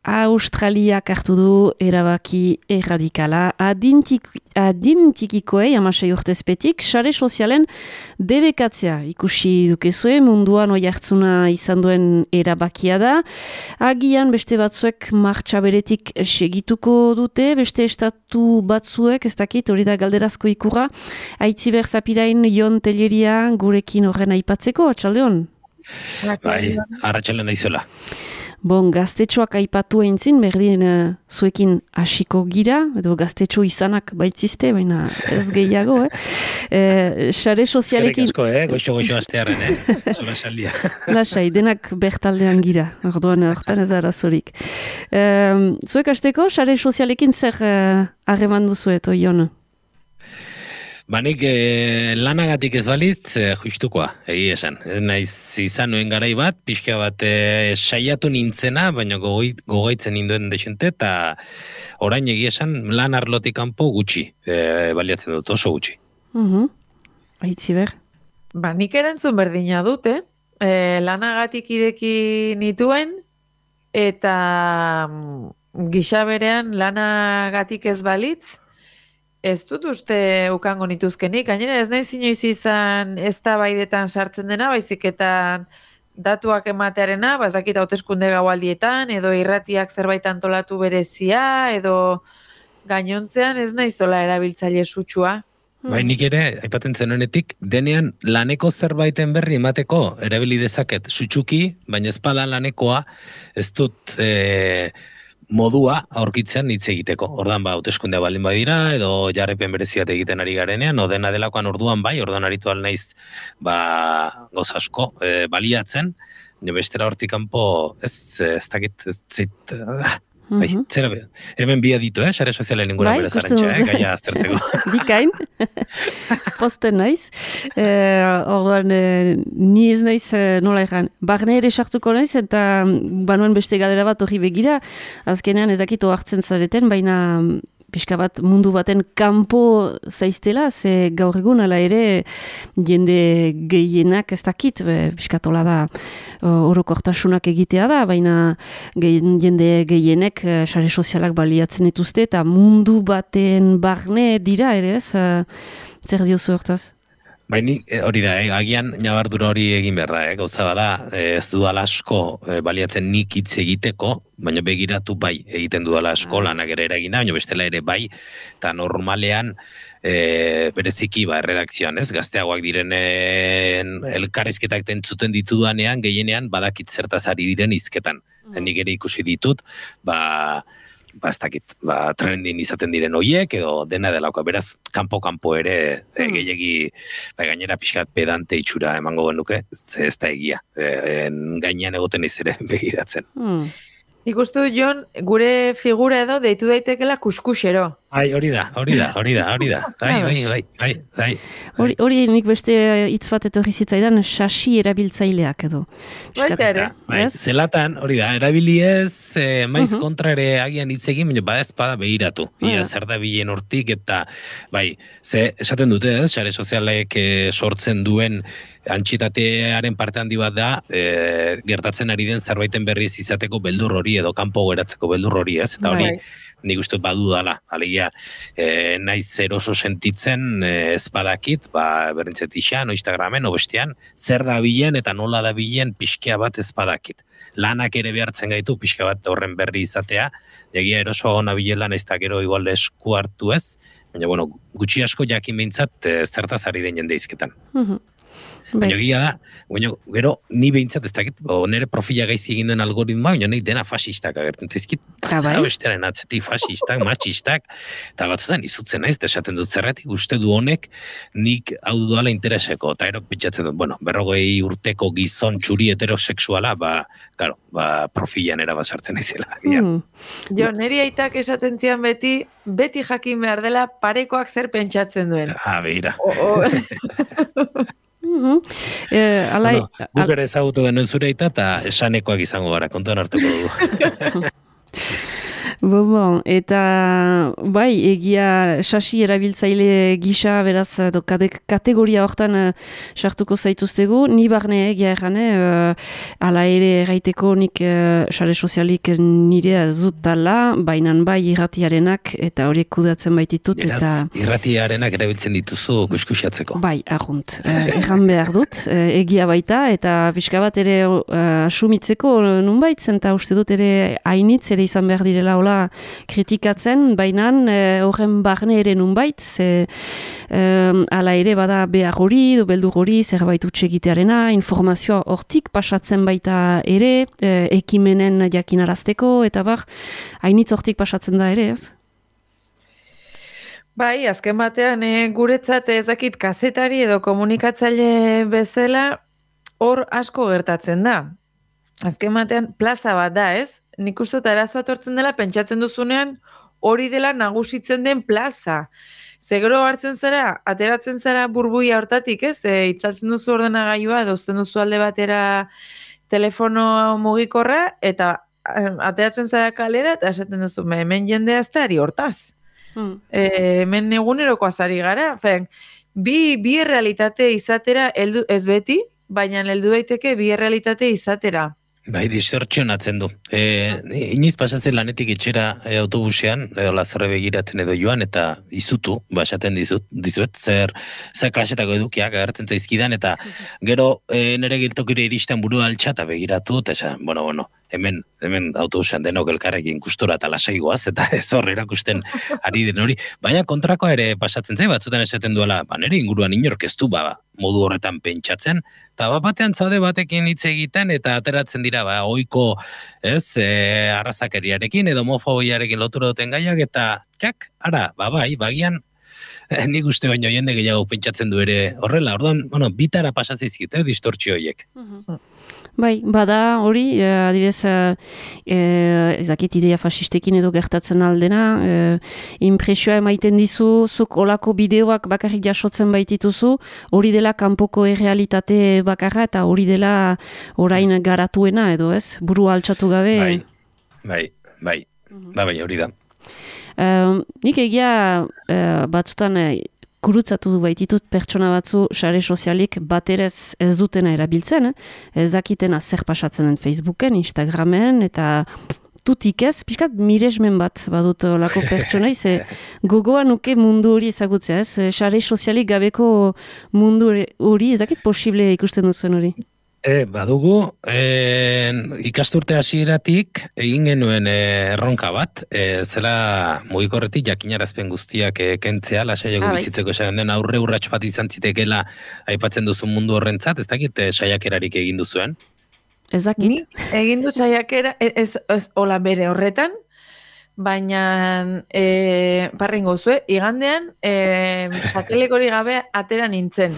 Australiak hartu du erabaki erradikala adintikikoei 16 urtezpetik sare sozialen debekatzea. Ikusi dukezue munduan oi hartzuna izan duen erabakia da. Agian beste batzuek martxa beretik segituko dute, beste estatu batzuek, ez dakit, hori da galderazko ikurra. Aitziber Zapirain Jon Telleria gurekin horren aipatzeko, atxaldeon? Bai, arratsaldeon daizuela. Bon, gaztetxoak aipatu eintzin, berdin zuekin hasiko gira, edo gaztetxo izanak baitzizte, baina ez gehiago, Sare sozialekin... Eskerrik asko, goxo astearren, Zola saldia. Lasai, denak bertaldean gira, orduan hortan ez arazorik. Zuek hasteko, sare sozialekin zer harreman duzuet, Jon? Nik lanagatik ez balitz, justukoa, egi esan. Naiz izan nuen garai bat, pixka bat saiatu nintzena, baina gogaitzen ninduen desente, eta orain egi esan lan arlotik kanpo gutxi, baliatzen dut, oso gutxi. Aitziber? Nik erantzun berdina dute, lanagatik ideki nituen, eta gisa berean lanagatik ez balitz, ez dut uste ukango nituzkenik, gainera ez nahi inoiz izan eztabaidetan sartzen dena, baizik eta datuak ematearena, bazakit hauteskunde gaualdietan, edo irratiak zerbait antolatu berezia, edo gainontzean ez nahi zola erabiltzaile sutsua. Nik ere, aipatzen zenuenetik, denean laneko zerbaiten berri emateko erabili dezaket sutsuki, baina ezpada lanekoa ez dut... modua aurkitzen hitz egiteko. Ordan hauteskundea baldin badira, edo jarraipen bereziat egiten ari garenean, dena delakoan orduan orduan aritu naiz goz asko baliatzen, bestera hortik kanpo ez dakit, zera, hemen bia ditu, sare sozialen ingura bere zarantxa, gaia aztertzeko. Bikain, posten naiz. Orduan, ni ez naiz nola egan. Barne ere sartuko naiz, eta banuen beste gadera bat hori begira, azkenean ezakito hartzen zareten, baina pixka bat mundu baten kanpo zaiztela, ze gaur egun ala ere jende gehienak ez dakit, pixkatola da orokortasunak egitea da, baina jende gehienek sare sozialak baliatzen dituzte, eta mundu baten barne dira ere ez, zer diozu hortaz? Hori da, agian nabardura hori egin behar da, gauza bada, ez dudala asko baliatzen nik hitz egiteko, baina begiratu bai egiten dudala asko, lanak ere eragin da, baina bestela ere bai, eta normalean bereziki erredakzioan, gazteagoak direnen elkarrizketak entzuten ditudanean, gehienean badakit zertaz ari diren hizketan. Nik ere ikusi ditut, ez dakit, trendin izaten diren hoiek, edo dena delako, beraz, kanpo ere, gehiagi, gainera pixkat pedante itxura emango genuke, ez da egia, gainean egoten ez ere begiratzen. Ikustu, Jon, gure figura edo deitu daitekela kuskusero. Hori da. Bai. Hori nik beste hitz bat etorri zitzaidan sasi erabiltzaileak edo. Baita ere. Zelatan, hori da, erabili ez, maiz kontra ere agian hitz egin, baina ezpada behiratu. Ia zer da bilen hortik, eta ze esaten dute, sare sozialek sortzen duen antxitatearen parte handi bat da, gertatzen ari den zerbaiten berriz izateko beldur hori, edo kanpo geratzeko beldur hori, ez? Eta hori, nik uste badu dala, alegia, naiz zer oso sentitzen ezpadakit, berintzet isan, o Instagramen, o bestean, zer da bilen eta nola da bilen pixkea bat ezpadakit. Lanak ere behartzen gaitu, pixka bat horren berri izatea, egia eroso gona bilela naiz eta gero igual esku hartu ez, baina, gutxi asko jakin behintzat zertaz ari den jende izketan. Baina egia da, gero ni behintzat ez dakit, nire profila gaizi egin duen algoritmoa, baina nahi dena fasistak agertzen zaizkit. Eta bestearen atzetik fasistak, matxistak, eta batzutan izutzen naiz, esaten dut zerretik, uste du honek nik hau duala intereseko, eta ero pentsatzen dut, 40 urteko gizon txuri heterosexuala, profilan erabasartzen naizela. Jo, niri aitak esaten zian beti jakin behar dela parekoak zer pentsatzen duen. Beira. Guk ere ezagutu genuen zure eta esanekoak izango gara, kontuan hartuko dugu. Bon, eta bai, egia sasi erabiltzaile gisa, beraz, kategoria hortan sartuko zaituztegu, ni barne egia errane, ala ere erraiteko nik sare sozialik nire zutala, bainan bai irratiarenak, eta horiek kudatzen baititut. Beraz, irratiarenak erabiltzen dituzu kuskusiatzeko. Bai, arrunt, erran behar dut, egia baita, eta pixka bat ere asumitzeko nunbait, zenta uste dut ere hainitz ere izan behar direla kritikatzen, baina horren barne ere nunbait, ze ala ere bada behar hori, beldur hori, zerbait utsegitearena, informazioa hortik pasatzen baita ere, ekimenen jakinarazteko, eta bar, hainitz hortik pasatzen da ere, ez? Bai, azken batean guretzat ezakit kazetari edo komunikatzaile bezala hor asko gertatzen da. Azken batean plaza bat da, ez? Nik uste arazoa tortzen dela, pentsatzen duzunean hori dela nagusitzen den plaza. Zegero hartzen zara, ateratzen zara burbuia hortatik, ez? Itzaltzen duzu ordenagailua, dozten duzu alde batera telefono mugikorra, eta ateratzen zara kalera, eta esaten duzu, hemen jendea ez da ari hortaz. Hemen eguneroko azari gara. Bi errealitate izatera, ez beti, baina heldu daiteke bi errealitate izatera. Bai, distortzionatzen du. Iniz pasatzen lanetik etxera autobusean, lazarre begiratzen edo joan, eta izutu, esaten dizuet, zer klasetako edukiak agertzen zaizkidan, eta gero nire giltokire iristen burua altxata begiratu, eta esan, bueno, hemen autobusean denok elkarrekin gustora eta lasaigoaz, eta ez horre erakusten ari den hori. Baina kontrakoa ere pasatzen zai, batzutan esaten duela, nire inguruan inorkeztu, modu horretan pentsatzen, eta batean zaude batekin hitz egiten, eta ateratzen dira, ohiko, ez, arrazakeriarekin, edo homofobiarekin lotura duten gaiak, eta, ara, bai, bagian, nik uste baino jende gehiago pentsatzen du ere horrela, orduan, bitara pasatzizkit, distortzio horiek. Bai, bada hori, adibidez, ezakit idea fasistekin edo gertatzen aldena, impresioa emaiten dizu, zuk olako bideoak bakarrik jasotzen baitituzu, hori dela kanpoko errealitate bakarra, eta hori dela orain garatuena edo ez, buru altxatu gabe. Bai, hori da. Nik egia batzutan gurutzatu du baititut pertsona batzu sare sozialik baterez ez dutena erabiltzen, ez dakitena zer pasatzen den Facebooken, Instagramen, eta tutik ez, pixkat miresmen bat badut lako pertsonai, ze gogoa nuke mundu hori ezagutzea, ez? Sare sozialik gabeko mundu hori, ez dakit posible ikusten duzuen hori? Badugu, ikasturte hasieratik egin genuen erronka bat, zela mugikorretik jakinarazpen guztiak kentzea, lasaiago bizitzeko esan den aurre urrats bat izan zitekela aipatzen duzun mundu horrentzat, ez dakit saiakerarik egin duzuen? Ez dakit. Ni egin du saiakera, ez hola bere horretan, baina parringo zue, igandean satelekori gabe atera nintzen.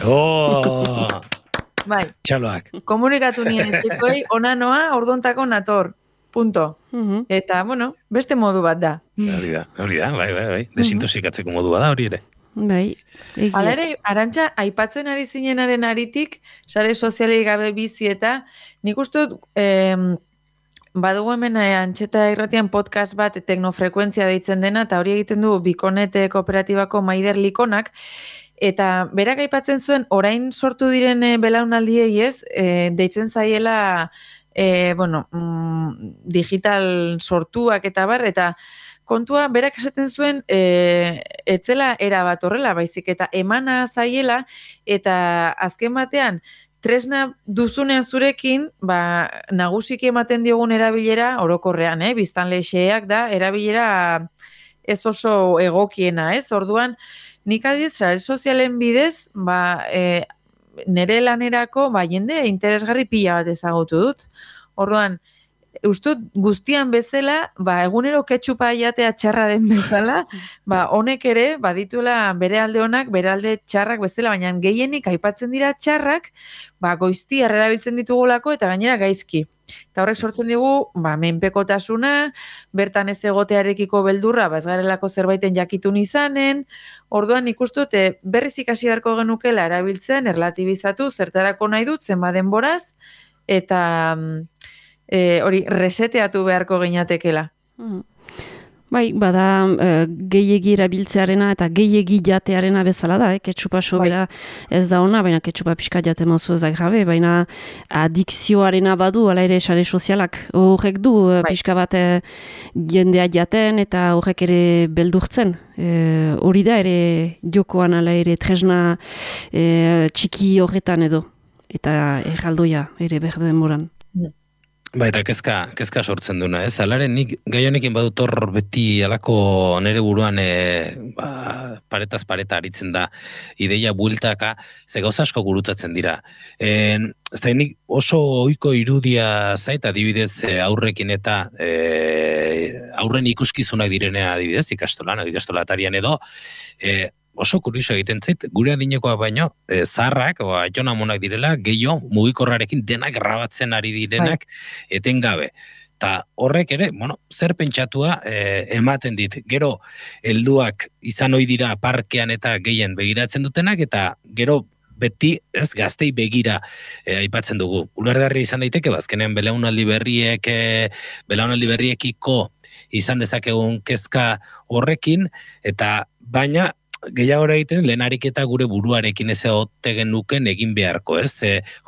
Bai. Txaloak. Komunikatu nien etxekoei, ona noa, orduntako nator. Punto. Eta, beste modu bat da. Hori da, bai. Desintosikatzeko modu bat da, hori ere. Bai. Hala ere, Arantxa, aipatzen ari zinenaren aritik, sare sozialei gabe bizi eta, nik uste dut, badugu hemen Antxeta Irratian podcast bat teknofrekuentzia deitzen dena, eta hori egiten du Bikonet kooperatibako Maider Likonak, eta berak aipatzen zuen, orain sortu diren belaunaldiei ez, deitzen zaiela, digital sortuak eta bar, eta kontua berak esaten zuen, etzela erabat horrela, baizik, eta emana zaiela, eta azken batean, tresna duzunean zurekin, nagusiki ematen diogun erabilera, orokorrean, biztanle xeak da, erabilera ez oso egokiena, ez? Orduan, nik adiz, sare sozialen bidez, nire lanerako, jende interesgarri pila bat ezagutu dut. Orduan, ustut guztian bezala, egunero ketxupa jatea txarra den bezala, honek ere, badituela bere alde honak, bere alde txarrak bezala, baina gehienik aipatzen dira txarrak, goizti erabiltzen ditugulako eta gainera gaizki. Eta horrek sortzen digu, menpekotasuna, bertan ez egotearekiko beldurra, ez garelako zerbaiten jakitun izanen, orduan ikustut, berriz ikasi beharko genukela erabiltzen, erlatibizatu, zertarako nahi dut, zenba denboraz, eta hori reseteatu beharko ginatekela. Bai, bada gehiegi erabiltzearena eta gehiegi jatearena bezala da, ketxupa sobera ez da ona, baina ketxupa pixka jate mozu ez da grabe, baina adikzioarena badu, ala ere sare sozialak. Horrek du pixka bat jendea jaten eta horrek ere beldurtzen. Hori da ere jokoan ala ere tresna txiki horretan edo. Eta erraldoia ere berde denboran. Ba, eta kezka sortzen duna, ez? Alaren nik gai honekin badut hor beti alako nere buruan paretaz pareta aritzen da ideia bueltaka, ze gauza asko gurutzatzen dira. Ez da, nik oso ohiko irudia zait, adibidez aurrekin eta aurren ikuskizunak direnea adibidez, ikastolatarian edo, oso kurioso egiten zait, gure adinekoak baino, zaharrak, aiton amonak direla, gehiago mugikorrarekin denak grabatzen ari direnak etengabe. Eta horrek ere, zer pentsatua ematen dit. Gero, helduak izan ohi dira parkean eta gehien begiratzen dutenak, eta gero beti, ez, gaztei begira aipatzen dugu. Ulergarri izan daiteke, bazkenean belaunaldi berriekiko izan dezakegun kezka horrekin, eta baina gehiago egiten lehenarik eta gure buruarekin ez egote genuken egin beharko, ez?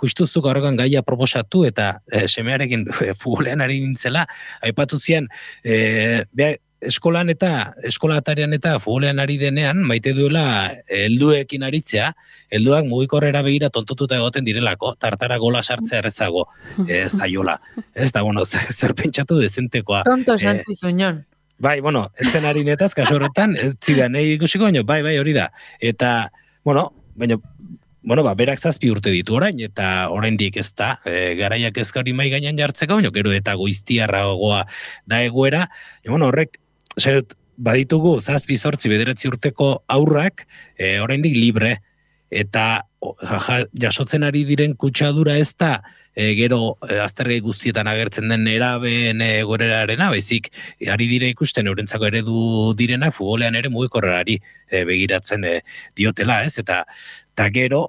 Justuzuk horregan gaia proposatu eta semearekin futbolean ari nintzela, aipatu zian, eskolatarian eta futbolean ari denean, maite duela helduekin aritzea, helduak mugikorrera begira tontotuta egoten direlako, tartara gola sartzea errezago zaiola. Ez da, zer pentsatu dezentekoa. Tonto santzi zuñon. Bai, etzen ari netaz, kaso horretan, ez zidan, ikusiko, bai, hori da. Eta, berak 7 urte ditu orain, eta oraindik ez da, garaiak ezka hori mai gainan jartzeko, gero eta goiztiarragoa da egoera, horrek, baditugu 7-8 bederatzi urteko aurrak, oraindik libre, eta jasotzen ari diren kutsadura ez da, gero aztergai guztietan agertzen den erabeen gorerarena, baizik, ari dire ikusten eurentzako eredu direna, futbolean ere mugikorrerari begiratzen diotela, ez? Eta gero,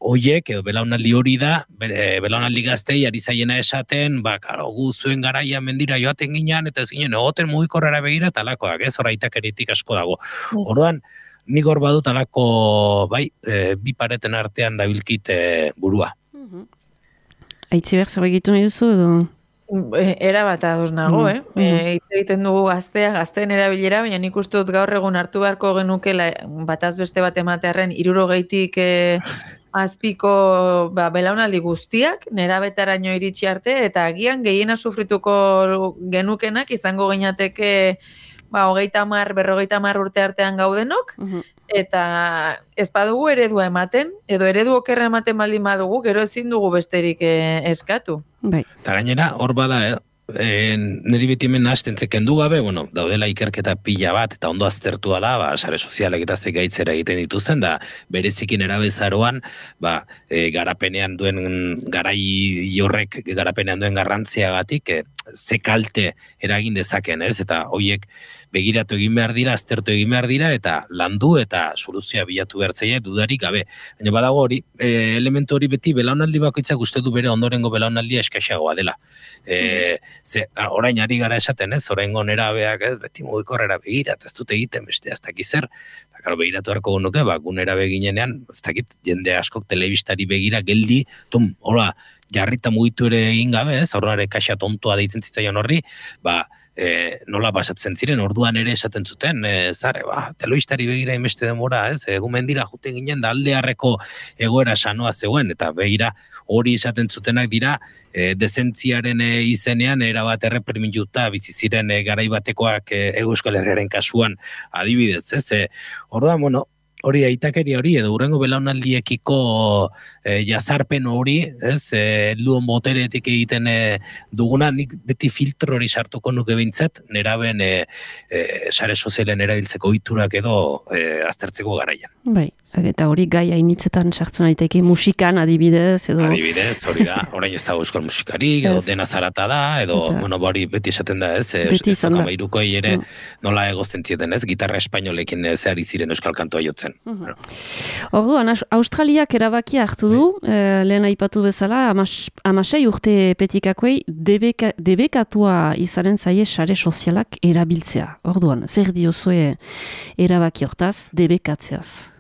hoiek, edo belaunaldi hori da, belaunaldi gaztei ari zaiena esaten, gu zuen garaia mendira joaten ginean, eta ez ginen, egoten mugikorrera begira talakoak, ez? Horaitak eritik asko dago. Orduan, nik hor badut alako, bi pareten artean dabilkit burua. Aitziber, zer egitu nahi duzu edo? Era bat ados nago, hitz egiten dugu gazteen erabilera, baina nik uste dut gaur egun hartu beharko genukela bataz beste bat ematearren 60-tik azpiko belaunaldi guztiak, nerabetaraino iritsi arte, eta agian gehiena sufrituko genukenak izango ginateke 30-40 urte artean gaudenok, eta ez badugu eredua ematen, edo eredu okerra ematen baldin badugu, gero ezin dugu besterik eskatu. Eta gainera, hor bada, niri beti hemen nahazten kendu gabe, daudela ikerketa pila bat, eta ondo aztertua da, sare sozialek eta gaitzera egiten dituzten, da berezikin erabezaroan, garapenean duen garai horrek, garapenean duen garrantziagatik, ze kalte eragin dezaken, ez? Eta horiek begiratu egin behar dira, aztertu egin behar dira, eta landu eta soluzioa bilatu behar zaila dudarik gabe. Baina badago hori, elementu hori beti belaunaldi bakoitzak uste du bere ondorengo belaunaldia eskaxagoa dela. Orain ari gara esaten, ez? Oraingo nerabeak, ez? Beti mugikorrera begirat, ez dute egiten beste ez dakit zer. Eta begiratu harko genuke, gunera beginenean, ez dakit, jende askok telebistari begira geldi, hola, jarrita mugitu ere egin gabe, ez? Aurrare kaxa tontoa deitzen zitzaion horri, nola pasatzen ziren, orduan ere esaten zuten, zare, telebistari begira inbeste denbora, ez? Egumen dira juten ginen da aldearreko egoera sanoa zegoen, eta begira hori esaten zutenak dira, dezentziaren izenean erabat erreprimiluta bizi ziren garai batekoak Euskal Herriaren kasuan adibidez, ez? Orduan, hori aitakeri hori, edo hurrengo belaunaldiekiko jazarpen hori, ez, helduon boteretik egiten duguna, nik beti filtro hori sartuko nuke bintzat, neraben sare sozialen erabiltzeko ohiturak edo aztertzeko garaian. Bai. Eta hori gai hainitzetan sartzen daiteke musikan adibidez, edo... Adibidez, hori da, orain ez da euskal musikarik, edo dena zarata da, edo, bueno, hori beti esaten da, ez? Beti izan da. Kamairukoei ere nola egozten zieten, ez? Gitarra espainolekin zehari ziren euskal kantoa jotzen. Orduan, Australiak erabakia hartu du, lehen aipatu bezala, 16 urte petikakoei debekatua izanen zaie sare sozialak erabiltzea. Orduan, zer diozue erabaki hortaz, debekatzeaz?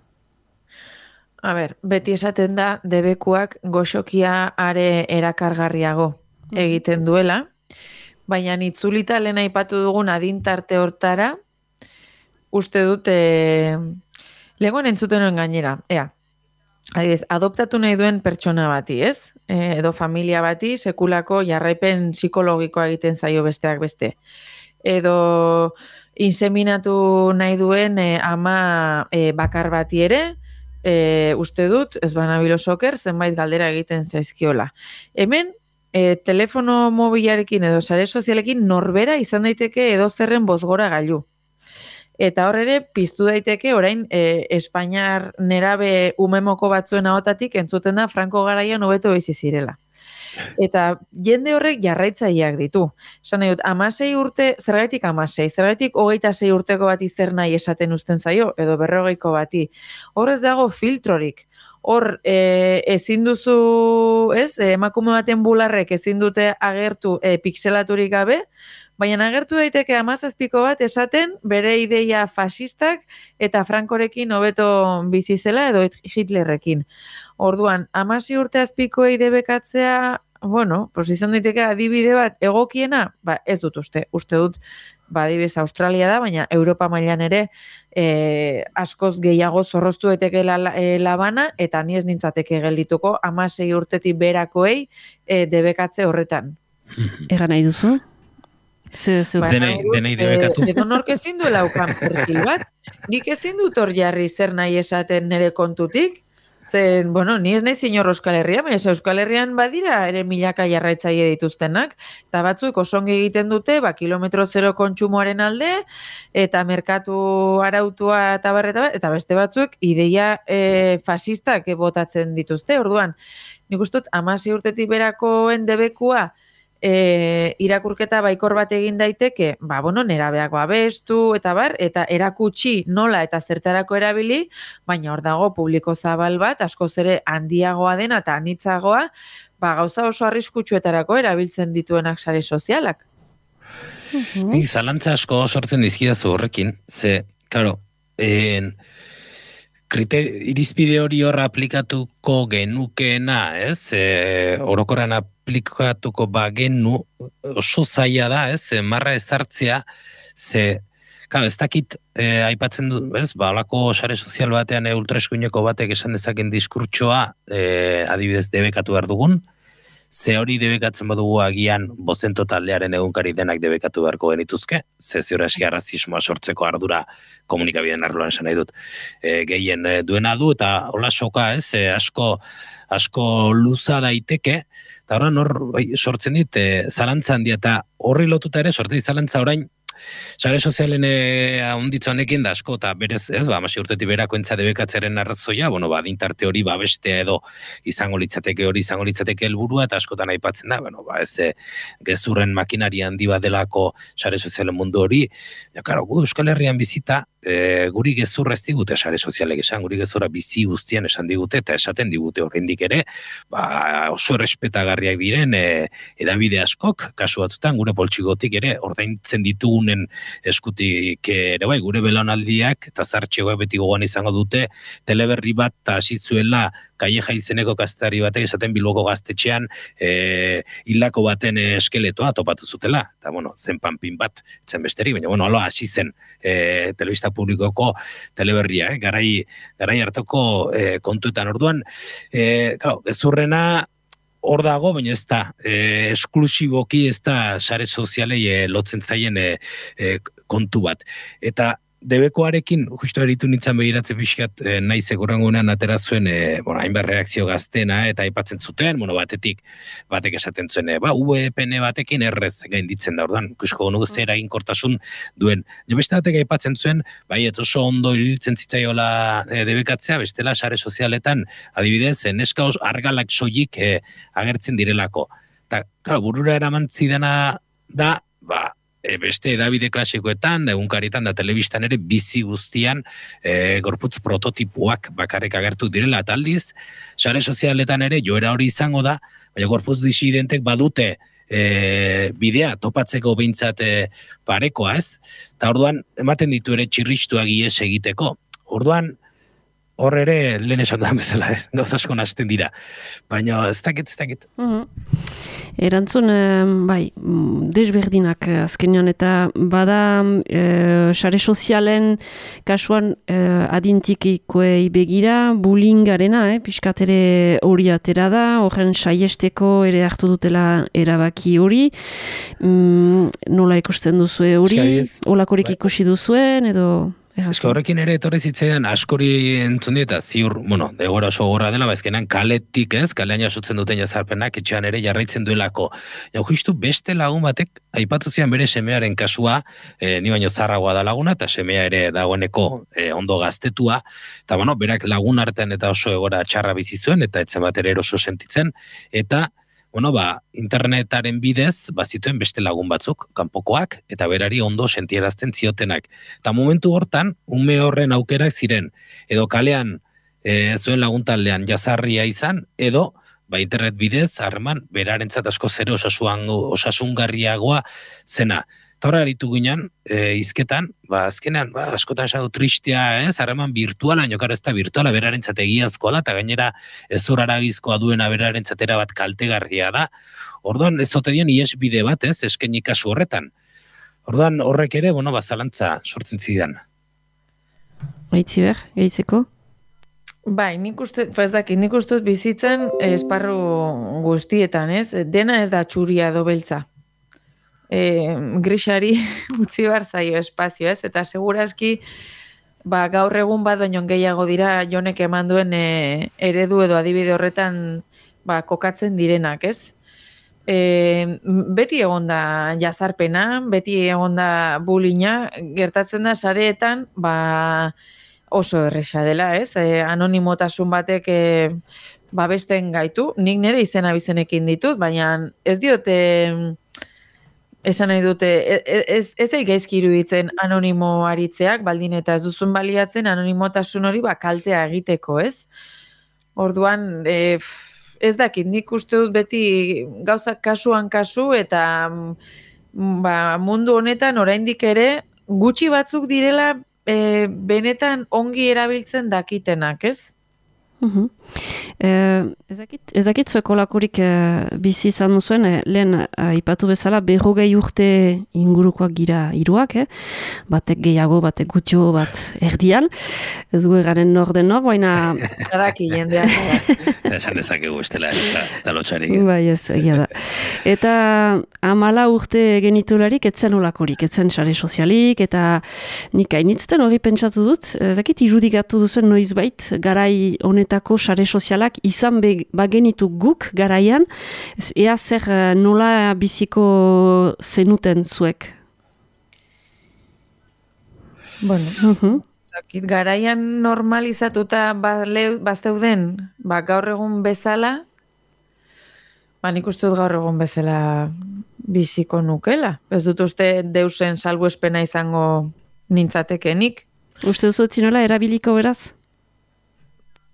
A ber, beti esaten da debekuak goxokia are erakargarriago egiten duela, baina itzulita lehen aipatu dugun adintarte hortara, uste dut, lehengoen entzuten gainera, adibidez, adoptatu nahi duen pertsona bati, ez? Edo familia bati, sekulako jarraipen psikologikoa egiten zaio besteak beste. Edo inseminatu nahi duen ama bakar bati ere, uste dut, ez banabilo soker, zenbait galdera egiten zaizkiola. Hemen, telefono mobilarekin edo sare sozialekin norbera izan daiteke edo zerren bozgora gailu. Eta hor ere, piztu daiteke orain Espainiar nerabe umemoko batzuen ahotatik entzuten da Franco garaian hobeto bizi zirela. Eta jende horrek jarraitzaileak ditu. Esan nahi dut, 16 urte, zergaitik 16, zergaitik 26 urteko bati zer nahi esaten uzten zaio, edo 40ko bati. Hor ez dago filtrorik. Hor ezin duzu, ez, emakume baten bularrek ezin dute agertu pixelaturik gabe, baina agertu daiteke 17ko bat esaten bere ideia fasistak eta Frankorekin hobeto bizi zela edo Hitlerrekin. Orduan, 16 urte azpikoei debekatzea, bueno, pues izan daiteke adibide bat egokiena, ez dut uste dut, adibidez Australia da, baina Europa mailan ere askoz gehiago zorroztu daiteke labana, eta ni ez nintzateke geldituko 16 urtetik berakoei debekatze horretan. Egan nahi duzu? Denei debekatu. Edo nork ezin duela ukan perfil bat. Nik ezin dut hor jarri zer nahi esaten nire kontutik. Zen, bueno, ni ez nahi zinor Euskal Herria, baina Euskal Herrian badira ere milaka jarraitzaile dituztenak, eta batzuk osongi egiten dute, kilometro zero kontsumoaren alde, eta merkatu arautua eta barreta, eta beste batzuk ideia fasistak botatzen dituzte. Orduan, nik uste dut 16 urtetik berakoen debekua irakurketa baikor bat egin daiteke, nerabeak babestu eta erakutsi nola eta zertarako erabili, baina hor dago publiko zabal bat, askoz ere handiagoa dena eta anitzagoa, gauza oso arriskutsuetarako erabiltzen dituenak sare sozialak. Ni zalantza asko sortzen dizkidazu horrekin, ze, karo, irizpide hori horra aplikatuko genukeena, ez? Orokorran aplikatuko bagenu oso zaila da, ez? Marra ezartzea, ze, ez dakit aipatzen du, ez? Halako sare sozial batean ultraeskuineko batek esan dezaken diskurtsoa, adibidez debekatu behar dugun, ze hori debekatzen badugu agian bozento taldearen egunkari denak debekatu beharko genituzke, ze ziora eski arrazismoa sortzeko ardura komunikabideen arloan esan nahi dut gehien duena du, eta hola soka ez, asko luza daiteke, eta hor sortzen dit zalantza handia, eta horri lotuta ere sortzen dit zalantza orain, sare sozialen ahonditza honekin da asko, eta berez, ez, 16 urtetik berako entza debekatzearen arrazoia, adintarte hori babestea edo izango litzateke helburua, eta askotan aipatzen da, ez gezurren makinari handi bat delako sare sozialen mundu hori, gu Euskal Herrian bizita, guri gezurra ez digute sare sozialek esan, guri gezurra bizi guztian esan digute, eta esaten digute oraindik ere, oso errespetagarriak diren edabide askok, kasu batzutan, gure poltsigotik ere, ordaintzen ditugunen eskutik ere bai, gure belaunaldiak, eta zartxegoa beti gogoan izango dute, teleberri bat, eta hasi zuela, Calleja izeneko kazetari batek esaten Bilboko gaztetxean hildako baten eskeletoa topatu zutela. Eta, zen panpin bat, zen besterik, baina, alo hasi zen telebista publikoko teleberria, garai hartoko kontuetan orduan. Gezurrena hor dago, baina ez da, esklusiboki ez da sare sozialei lotzen zaien kontu bat. Eta debekoarekin, justu eritu nintzen behiratzen pixkat, nahi segurangunean atera zuen, hainbat reakzio gaztena, eta aipatzen zuten, batek esaten zuen, VPN batekin errez gainditzen da, ordan, ikusko nugu zer eginkortasun duen. Beste batek aipatzen zuen, ez oso ondo iruditzen zitzaiola debekatzea, bestela sare sozialetan, adibidez, neska argalak soilik agertzen direlako. Eta, burura eraman zidana da, beste edabide klasikoetan, da egunkaritan, da telebistan ere, bizi guztian gorputz prototipoak bakarrik agertu direla, eta aldiz, sare sozialetan ere, joera hori izango da, baina gorputz disidentek badute bidea topatzeko behintzat parekoa, ez? Eta orduan, ematen ditu ere txirristuak ies egiteko. Orduan, hor ere, lehen esan da bezala, gauz asko nasten dira. Baina, ez dakit. Erantzun, desberdinak azkenean, eta bada sare sozialen kasuan adintikikoei begira, bullyingarena, pixkat ere hori atera da, horren saiesteko ere hartu dutela erabaki hori. Nola ikusten duzue hori? Olakorik ikusi duzuen, edo... Horrekin ere etorri zitzaidan askori entzun eta ziur, degora oso gorra dela, ezkenan kaletik kalean jasotzen duten jazarpenak etxean ere jarraitzen duelako. Justu beste lagun batek, aipatu zian bere semearen kasua, ni baino zarragoa da laguna, eta semea ere dagoeneko ondo gaztetua, eta berak lagun artean eta oso egora txarra bizi zuen, eta etzen bat ere eroso sentitzen, eta internetaren bidez, zituen beste lagun batzuk, kanpokoak, eta berari ondo sentierazten ziotenak. Eta momentu hortan, ume horren aukerak ziren, edo kalean zuen laguntaldean jazarria izan, edo internet bidez, harreman, berarentzat asko zere osasungarriagoa zena. Eta horra aritu ginen, izketan, azkenean, askotan esatu tristea, harreman virtuala, nokara ez da virtuala, berarentzat egiazkoa da, eta gainera ez uraragizkoa duena berarentzatera bat kaltegarria da. Orduan, ez zote dion iesbide bat, eskenik kasu horretan. Orduan, horrek ere, zalantza sortzen zidan. Gaitziber, gaitzeko? Nik uste bizitzen esparru guztietan, dena ez da txuria edo beltza. Grisari utzi behar zaio espazio, eta seguraski gaur egun bat baino gehiago dira Jonek eman duen eredu edo adibide horretan kokatzen direnak, beti egonda jazarpena, beti egonda bullyinga, gertatzen da sareetan oso erresa dela, anonimotasun batek babesten gaitu, nik nire izena bizenekin ditut, baina ez diote esan nahi dute, ez gaizki iruditzen anonimo aritzeak, baldin eta ez duzun baliatzen anonimotasun hori kaltea egiteko, Orduan, ez dakit, nik uste dut beti gauzak kasuan kasu, eta mundu honetan oraindik ere gutxi batzuk direla benetan ongi erabiltzen dakitenak, Ez dakit zueko lakurik bizi izan duzuen, lehen ipatu bezala 40 urte ingurukoak gira hiruak, batek gehiago, batek gutxo, bat erdian, ez du egaren nor den nor, baina... Adaki jendeak. Esan dezakegu estela, ez da lotxarik. Bai, ez, egia da. Eta 14 urte genitularik etzen olakorik, etzen sare sozialik, eta nik hainitzten hori pentsatu dut, ez dakit irudikatu duzuen noizbait, garai honetako sare sozialak izan bagenitu guk garaian, ea zer nola biziko zenuten zuek? Bueno, garaian normalizatuta bazeuden, gaur egun bezala, nik uste dut gaur egun bezala biziko nukela. Ez dut uste deusen salbuespena izango nintzatekenik. Uste duzu etzinola erabiliko beraz?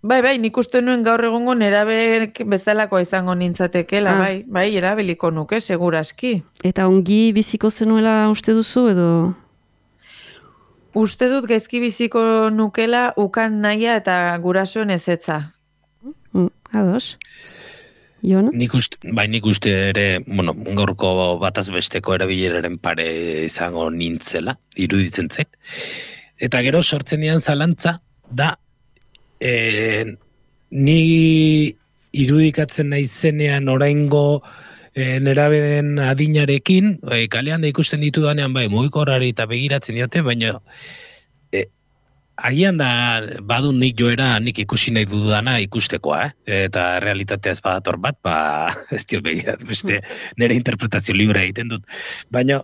Bai, nik uste nuen gaur egungo nerabek bezalakoa izango nintzatekela, bai, erabiliko nuke, seguraski. Eta ongi biziko zenuela uste duzu, edo? Uste dut gaizki biziko nukela ukan nahia eta gurasoen ezetza. Ados. Jon? Nik uste ere, gaurko bataz besteko erabileraren pare izango nintzela, iruditzen zait. Eta gero sortzen dian zalantza, da, ni irudikatzen naizenean oraingo nerabeen adinarekin, kalean da ikusten ditudanean mugiko horari eta begiratzen diote, baina Agian da, badu nik joera, nik ikusi nahi dudana ikustekoa, eta realitatea ez badator bat, ez diot begirat, beste nire interpretazio libre egiten dut. Baina,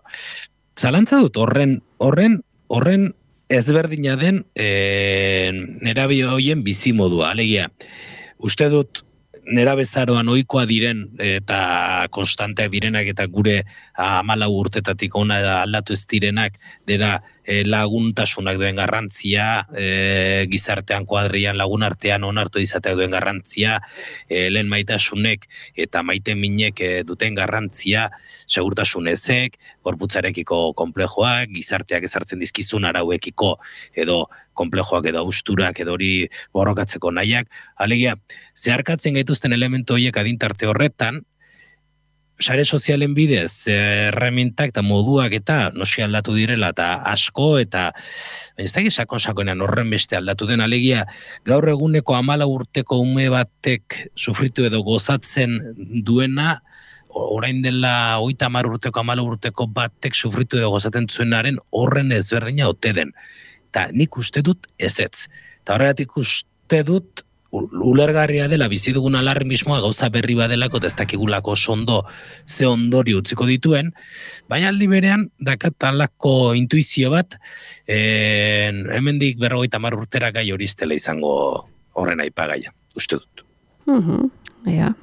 zalantza dut, horren ezberdina den nerabe horien bizimodua, alegia. Uste dut, nerabezaroan ohikoa diren eta konstanteak direnak eta gure 14 urtetatik ona aldatu ez direnak dira laguntasunak duen garrantzia, gizartean kuadrian lagun artean onartu izateak duen garrantzia, lehen maitasunek eta maite minek duten garrantzia, segurtasun ezek, gorputzarekiko konplejoak, gizarteak ezartzen dizkizun arauekiko edo konplejoak edo austurak edo hori borrokatzeko nahiak. Alegia, zeharkatzen gaituzten elementu horiek adintarte horretan, sare sozialen bidez, erremintak eta moduak eta nosi aldatu direla eta asko eta ez da sakonean horren beste aldatu den. Alegia, gaur eguneko 14 urteko ume batek sufritu edo gozatzen duena, orain dela 30 urteko 14 urteko batek sufritu edo gozaten zuenaren horren ezberdina ote den. Eta nik uste dut ezetz. Eta horregatik uste dut ulergarria dela bizi dugun alarmismoa gauza berri badelako eta ez dakigulako ondo ze ondori utziko dituen, baina aldi berean dakat alako intuizio bat hemendik 50 urtera gai hori iztela izango horren aipagaia, uste dut.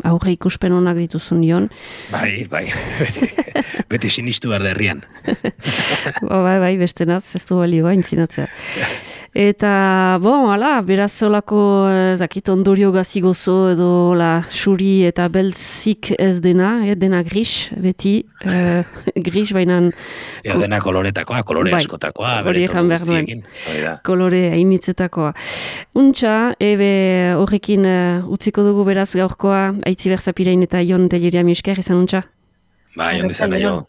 Aurre ikuspen honak dituzun Jon. Bai, beti sinistu behar derrian. Bai, beste naz, ez du balioa intzinatzea. Eta, beraz olako, zakit, ondorio gazigozo edo xuri eta beltzik ez dena gris, beti, gris bainan... Dena koloretakoa, kolore askotakoa, beretu guztiekin. Kolore hainitzetakoa. Untxa, horrekin utziko dugu beraz gaurkoa, Aitziber Zapirain eta Jon Telleria Miesker, izan untxa? Bai, ondizan nahi jo.